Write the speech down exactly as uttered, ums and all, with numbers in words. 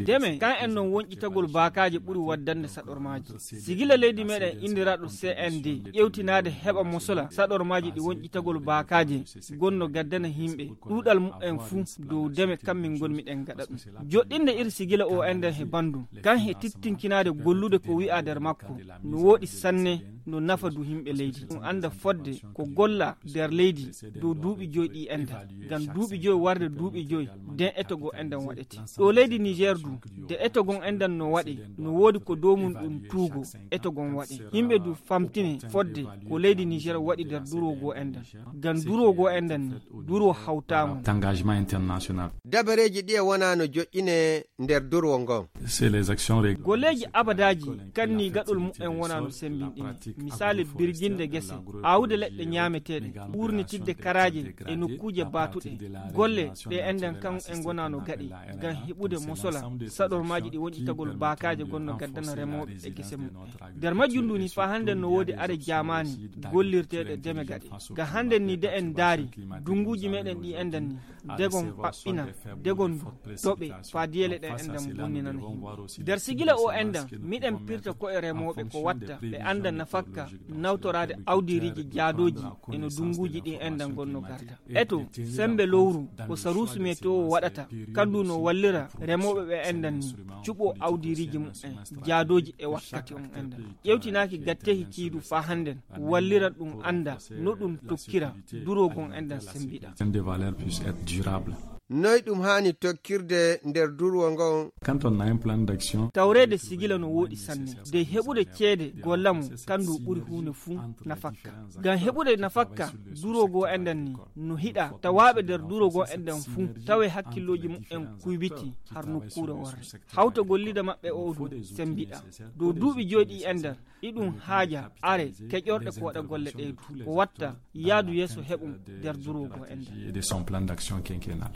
Deme kan en non wonƴitagol baakaaje ɓuri waddande saɗormaaji. Sigila leydi meɗen indiraaɗo C N D ƴewtinaade heɓa mosola saɗormaaji ɗi wonƴitagol baakaaje gonno gaddana yimɓe ɗuuɗal mumen fuu dow deme kan min ngonmi ɗen gaɗa ɗum. Joɗɗinde iri sigila o enɗen he banndum kan he tittinkinaade gollude ko wi'a nder makko no wooɗi sanne, no nafa du yimɓe leydi ɗum annda fodde ko golla nder leydi dow duuɓi joyi ɗi enɗen. Ngam duuɓi joyi warde duuɓi joyi nden eto goo enɗen waɗete ɗo leydi Niger du. Nde eto gon enɗen no waɗe no woodi ko dow mum ɗum tuugo eto gon waɗe yimɓe du famtine fodde ko leydi Niger waɗi nder duro goo enɗen. Ngam duro goo enɗen ni duro hawtaama. Engagement international. Dabareeji ɗi e wonaa no joƴƴine nder durwo ngon. Golleeji abadaaji kanni gaɗol mumen wonaa no semmbinɗini. Misaali birginde gese, aawude leɗɗe ñaameteeɗe, wuurnitidde karaaje e nokkuuje baatuɗe. Golle ɗe enɗen kan en ngonaa no gaɗi ngam heɓude mosola saɗormaaji ɗi wonƴitagol baakaaje gonno gaddana remooɓe e gese mumen. Nder majjum ndu ni faa hannden no woodi are jaamaani gollirteeɗe deme gaɗe. Ngam hannden ni de en ndaari dunnguuji meɗen ɗi enɗen ni degon paɓɓina, degon doɓe faa diyele ɗen enɗen bonninana yimɓe. Nder sigila o enɗen miɗen pirta ko e remooɓe ko watta ɓe annda nafakka nawtoraade awdiriiji jaadooji e no dunnguuji ɗi enɗen gonno garda. Eto, semmbe lowru ko saruusu meteo waɗata, kandu no wallira remooɓe ɓe enɗen ni cuɓo awdiriiji mumen jaadooji e wakkati on enɗen. Ƴewtinaaki gatteehi kiidu faa hannden walliran ɗum annda no ɗum tokkira duroogon enɗen semmbiɗa. Noy ɗum haani tokkirde nder durwo ngon? Quand on a un plan d'action. Tawreede sigila no wooɗi sanne dey heɓude ceede golla mo kandu ɓuri huunde fuu nafakka. Ngam heɓude nafakka duroogo enɗen ni no hiɗa tawaaɓe nder duroogo enɗen fuu tawe hakkillooji mumen kuybiti har nokkuure worre. Hawta gollida maɓɓe o du semmbiɗa dow duuɓi joyi ɗi enɗen. Iɗum haaja are keƴorɗe ko waɗa golle ɗe du ko watta yaadu yeeso heɓum nder duroogo enɗen. De son plan d'action quinquennal.